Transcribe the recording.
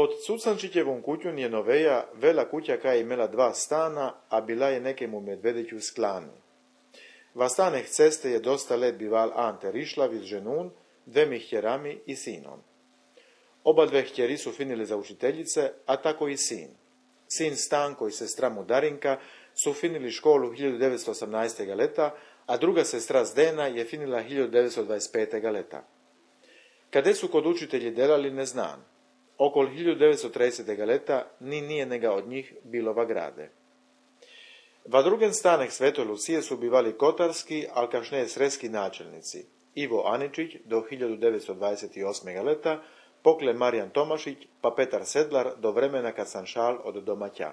Pod Cucančićevom kućun je noveja vela kuća koja je imela 2 stana, a bila je nekemu medvediću sklani. Va staneh ceste je dosta let bival Ante Rišlav iz ženun, 2 hjerami i sinom. Oba 2 hjeri su finili za učiteljice, a tako i sin. Sin Stanko i sestra mu Darinka su finili školu 1918. leta, a druga sestra Zdena je finila 1925. leta. Kade su kod učitelji delali ne znam. Okol 1930. leta ni nijenega od njih bilo va grade. Va drugen stanek Svetoj Lucije su bivali kotarski, al kašne sreski načelnici. Ivo Aničić do 1928. leta, pokle Marijan Tomašić, pa Petar Sedlar do vremena kad sam šal od domaća.